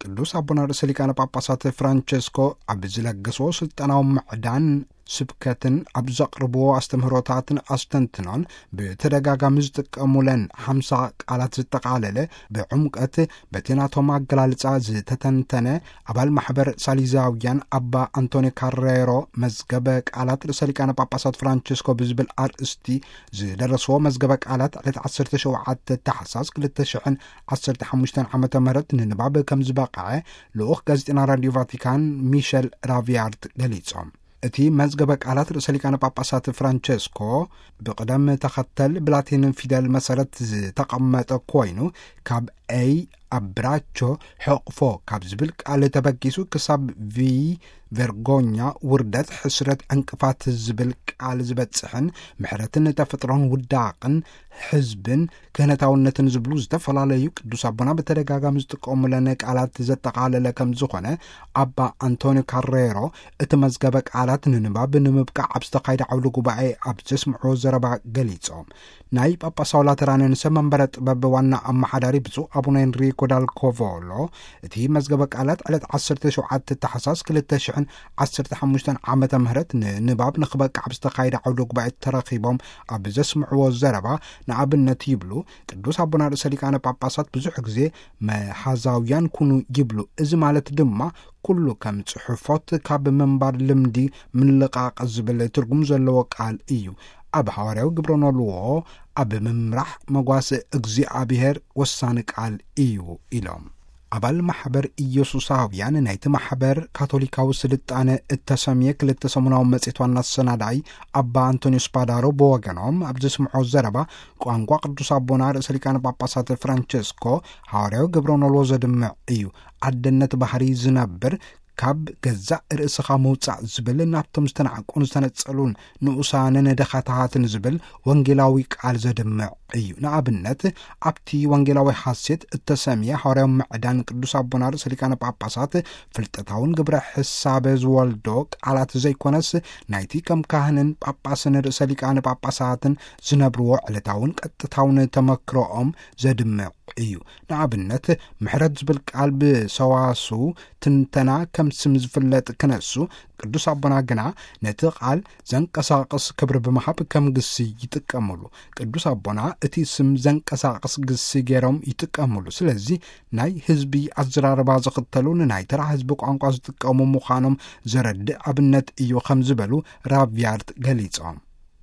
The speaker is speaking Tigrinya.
ቅዱስ ኣቦና ርእሰ ሊቃነ ጳጳሳት ፍራንቸስኮ ኣብ ዝለገስዎ ስልጠናዊ ምዕዳን ስብከትን ኣብ ዘቕርብዎ ኣስተምህሮታትን ኣስተንትኖን ብተደጋጋሚ ዝጥቀሙለን ሓምሳ ቃላት ዝጠቓለለ፣ ብዕምቀት በቲ ናቶም ኣገላልጻ ዝተተንተነ፣ ኣባል ማሕበር ሳሊዛውያን ኣባ ኣንቶኒ ካሬሮ መዝገበ ቃላት ርእሰ ሊቃነ ጳጳሳት ፍራንቸስኮ ብዝብል ኣርእስቲ ዝደረስዎ መዝገበ ቃላት ዕለት ዓሰርተ ሸውዓተ ታሕሳስ ክልተ ሽሕን ዓሰርተ ሓሙሽተን ዓመተ ምህረት ንንባብ ከም ዝበቕዐ ልኡኽ ጋዜጠና ራዲዮ ቫቲካን ሚሸል ራቪያርት ገሊጾም። እቲ መዝገበ ቃላት ርእሰ ሊቃነ ጳጳሳት ፍራንቸስኮ ብቕደም ተኸተል ብላቲን ፊደል መሰረት ዝተቐመጠ ኮይኑ፣ ካብ ኤይ ኣብራቾ ሕቕፎ ካብ ዝብል ቃል ተበጊሱ ክሳብ ቪ ቨርጎኛ፣ ውርደት፣ ሕስረት፣ ዕንቅፋት ዝብል ቃል ዝበጽሕን፣ ምሕረትን ተፈጥሮን ውዳቕን ሕዝብን ክህነታውነትን ዝብሉ ዝተፈላለዩ ቅዱስ ኣቦና ብተደጋጋሚ ዝጥቀሙለን ቃላት ዘጠቓለለ ከም ዝኾነ ኣባ ኣንቶኒ ካሬሮ እቲ መዝገበ ቃላት ንንባብ ንምብቃዕ ኣብ ዝተኻየደ ዓውደ ጉባኤ ኣብ ዘስምዕዎ ዘረባ ገሊጾም። ናይ ጳጳሳዊ ላተራንን ሰብ መንበረ ጥበብ ዋና ኣመሓዳሪ ብፁዕ ኣቡነ ኤንሪኮ ዳል ኮቮሎ፣ እቲ መዝገበ ቃላት ዕለት ዓሰርተ ሸውዓተ ታሕሳስ ክልተ ሽሕን ዓሰርተ ሓሙሽተን ዓመተ ምህረት ንንባብ ንኽበቅዕ ኣብ ዝተኻየደ ዓውደ ጉባኤ ተረኺቦም ኣብ ዘስምዕዎ ዘረባ፣ ንኣብነት ይብሉ፣ ቅዱስ ኣቦና ርእሰ ሊቃነ ጳጳሳት ብዙሕ ግዜ መሓዛውያን ኩኑ ይብሉ። እዚ ማለት ድማ ኩሉ ከም ጽሑፎት ካብ ምንባር ልምዲ ምልቃቕ ዝብል ትርጉም ዘለዎ ቃል እዩ። ኣብ ሃዋርያዊ ግብረ ኖልዎ ኣብ ምምራሕ መጓስ እግዚኣብሔር ወሳኒ ቃል እዩ ኢሎም። ኣባል ማሕበር ኢየሱሳውያን ናይቲ ማሕበር ካቶሊካዊ ስልጣነ እተሰምየ ክልተ ሰሙናዊ መጽሔት ዋና ኣሰናዳኢ ኣባ ኣንቶኒዮስ ፓዳሮ ብወገኖም ኣብ ዘስምዖ ዘረባ፣ ቋንቋ ቅዱስ ኣቦና ርእሰ ሊቃነ ጳጳሳት ፍራንቸስኮ ሃዋርያዊ ግብረ ኖልዎ ዘድምዕ እዩ። ኣደነት ባህሪ ዝነብር፣ ካብ ገዛእ ርእስኻ ምውጻእ ዝብል፣ ናብቶም ዝተናዕቁን ዝተነጸሉን ንኡሳንን ደኻታትን ዝብል ወንጌላዊ ቃል ዘድምዕ እዩ። ንኣብነት፣ ኣብቲ ወንጌላዊ ሓሴት እተሰምየ ሃዋርያዊ ምዕዳን ቅዱስ ኣቦና ርእሰ ሊቃነ ጳጳሳት፣ ፍልጠታውን ግብረ ሕሳበ ዝወልዶ ቃላት ዘይኮነስ፣ ናይቲ ከም ካህንን ጳጳስን ርእሰ ሊቃነ ጳጳሳትን ዝነብርዎ ዕለታውን ቀጥታውን ተመክሮኦም ዘድምዕ እዩ። ንኣብነት፣ ምሕረት ዝብል ቃል ብሰዋስው ትንተና ከም ስም ዝፍለጥ ክነሱ፣ ቅዱስ ኣቦና ግና ነቲ ቃል ዘንቀሳቕስ ክብሪ ብምሃብ ከም ግሲ ይጥቀሙሉ። ቅዱስ ኣቦና እቲ ስም ዘንቀሳቕስ ግሲ ገይሮም ይጥቀሙሉ። ስለዚ ናይ ህዝቢ ኣዘራርባ ዝኽተሉ፣ ንናይ ተራ ህዝቢ ቋንቋ ዝጥቀሙ ምዃኖም ዘረድእ ኣብነት እዩ ከም ዝበሉ ራቪያርት ገሊጾም።